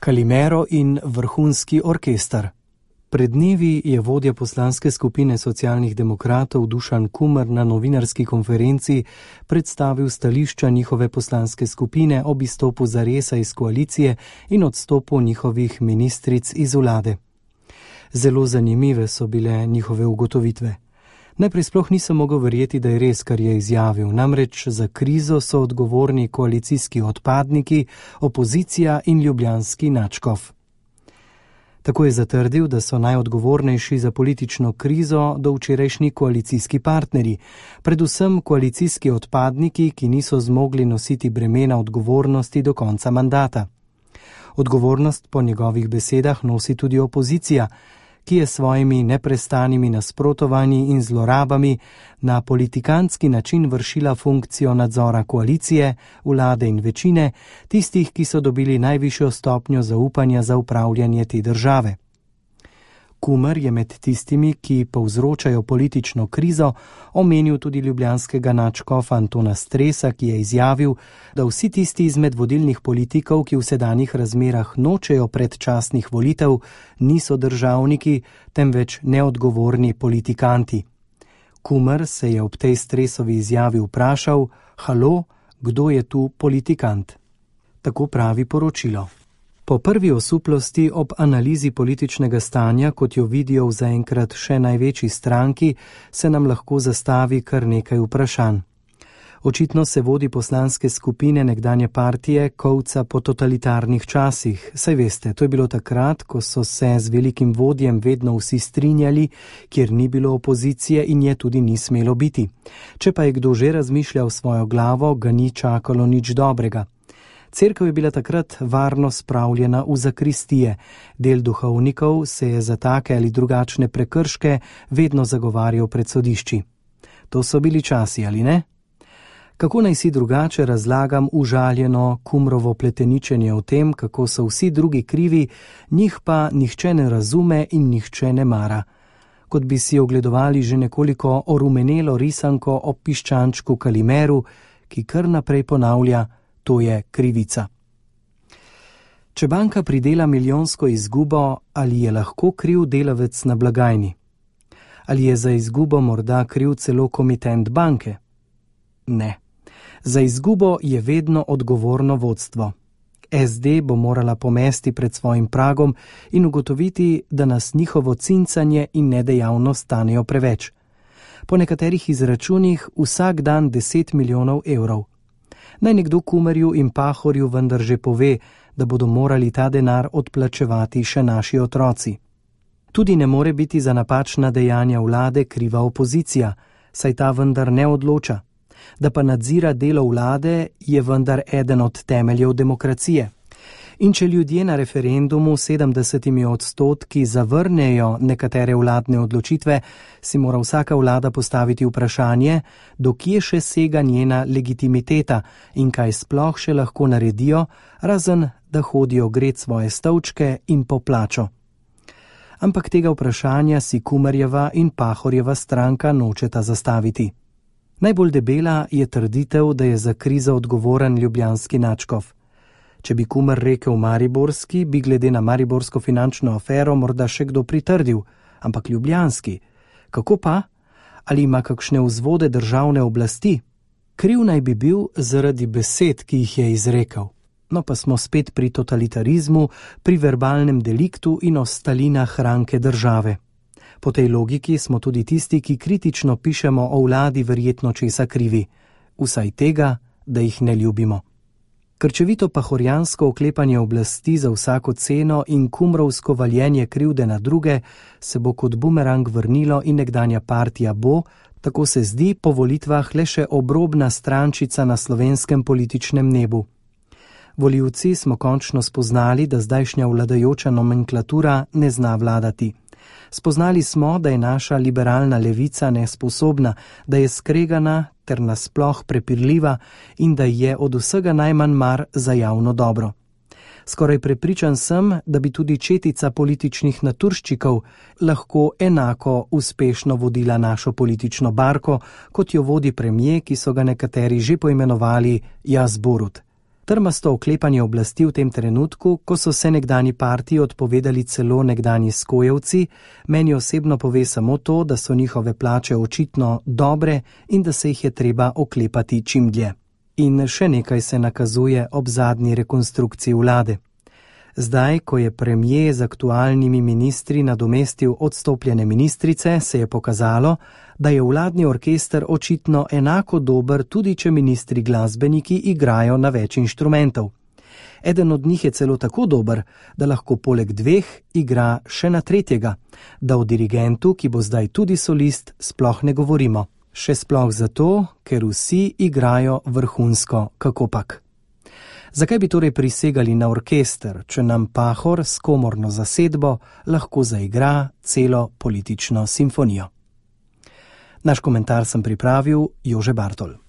Kalimero in vrhunski orkester. Pred dnevi je vodja poslanske skupine socialnih demokratov Dušan Kumer na novinarski konferenci predstavil stališča njihove poslanske skupine ob izstopu Zaresa iz koalicije in odstopu njihovih ministric iz vlade. Zelo zanimive so bile njihove ugotovitve. Najprej sploh nisem mogel verjeti, da je res, kar je izjavil, namreč za krizo so odgovorni koalicijski odpadniki, opozicija in ljubljanski nadškof. Tako je zatrdil, da so najodgovornejši za politično krizo do včerajšnji koalicijski partnerji, predvsem koalicijski odpadniki, ki niso zmogli nositi bremena odgovornosti do konca mandata. Odgovornost po njegovih besedah nosi tudi opozicija, ki je svojimi neprestanimi nasprotovanji in zlorabami na politikantski način vršila funkcijo nadzora koalicije, vlade in večine, tistih, ki so dobili najvišjo stopnjo zaupanja za upravljanje te države. Kumer je med tistimi, ki povzročajo politično krizo, omenil tudi ljubljanskega nadškofa Antona Stresa, ki je izjavil, da vsi tisti izmed vodilnih politikov, ki v sedanjih razmerah nočejo predčasnih volitev, niso državniki, temveč neodgovorni politikanti. Kumer se je ob tej Stresovi izjavi vprašal, halo, kdo je tu politikant? Tako pravi poročilo. Po prvi osuplosti ob analizi političnega stanja, kot jo vidijo v zaenkrat še največji stranki, se nam lahko zastavi kar nekaj vprašanj. Očitno se vodi poslanske skupine nekdanje partije kovca po totalitarnih časih. Saj veste, to je bilo takrat, ko so se z velikim vodjem vedno vsi strinjali, kjer ni bilo opozicije in je tudi ni smelo biti. Če pa je kdo že razmišljal svojo glavo, ga ni čakalo nič dobrega. Cerkev je bila takrat varno spravljena v zakristije, del duhovnikov se je za take ali drugačne prekrške vedno zagovarjal pred sodišči. To so bili časi, ali ne? Kako naj si drugače razlagam užaljeno Kumrovo pleteničenje o tem, kako so vsi drugi krivi, njih pa nihče ne razume in nihče ne mara. Kot bi si ogledovali že nekoliko orumenelo risanko o piščančku Kalimeru, ki kar naprej ponavlja, to je krivica. Če banka pridela milijonsko izgubo, ali je lahko kriv delavec na blagajni? Ali je za izgubo morda kriv celo komitent banke? Ne. Za izgubo je vedno odgovorno vodstvo. SD bo morala pomesti pred svojim pragom in ugotoviti, da nas njihovo cincanje in nedejavnost stanejo preveč. Po nekaterih izračunih vsak dan 10 milijonov evrov. Naj nekdo Kumerju in Pahorju vendar že pove, da bodo morali ta denar odplačevati še naši otroci. Tudi ne more biti za napačna dejanja vlade kriva opozicija, saj ta vendar ne odloča. Da pa nadzira delo vlade, je vendar eden od temeljev demokracije. In če ljudje na referendumu 70% zavrnejo nekatere vladne odločitve, si mora vsaka vlada postaviti vprašanje, do kje še sega njena legitimiteta in kaj sploh še lahko naredijo, razen da hodijo gret svoje stolčke in po plačo. Ampak tega vprašanja si Kumerjeva in Pahorjeva stranka nočeta zastaviti. Najbolj debela je trditev, da je za krizo odgovoren ljubljanski nadškof. Če bi Kumer rekel mariborski, bi glede na mariborsko finančno afero morda še kdo pritrdil, ampak ljubljanski. Kako pa? Ali ima kakšne vzvode državne oblasti? Kriv naj bi bil zaradi besed, ki jih je izrekel. No pa smo spet pri totalitarizmu, pri verbalnem deliktu in o Stalinah ranke države. Po tej logiki smo tudi tisti, ki kritično pišemo o vladi, verjetno česa krivi. Vsaj tega, da jih ne ljubimo. Krčevito pahorjansko oklepanje oblasti za vsako ceno in kumrovsko valjenje krivde na druge se bo kot bumerang vrnilo in nekdanja partija bo, tako se zdi, po volitvah le še obrobna strančica na slovenskem političnem nebu. Volivci smo končno spoznali, da zdajšnja vladajoča nomenklatura ne zna vladati. Spoznali smo, da je naša liberalna levica nesposobna, da je skregana ter nasploh prepirljiva in da je od vsega najmanj mar za javno dobro. Skoraj prepričan sem, da bi tudi četica političnih naturščikov lahko enako uspešno vodila našo politično barko, kot jo vodi premier, ki so ga nekateri že poimenovali Jaz Borut. Trmasto oklepanje oblasti v tem trenutku, ko so se nekdani partiji odpovedali celo nekdani skojevci, meni osebno pove samo to, da so njihove plače očitno dobre in da se jih je treba oklepati čim dlje. In še nekaj se nakazuje ob zadnji rekonstrukciji vlade. Zdaj, ko je premier z aktualnimi ministri nadomestil odstopljene ministrice, se je pokazalo, da je vladni orkester očitno enako dober, tudi če ministri glasbeniki igrajo na več inštrumentov. Eden od njih je celo tako dober, da lahko poleg dveh igra še na tretjega, da o dirigentu, ki bo zdaj tudi solist, sploh ne govorimo. Še sploh zato, ker vsi igrajo vrhunsko, kakopak. Zakaj bi torej prisegali na orkester, če nam Pahor s komorno zasedbo lahko zaigra celo politično simfonijo? Naš komentar sem pripravil Jože Bartol.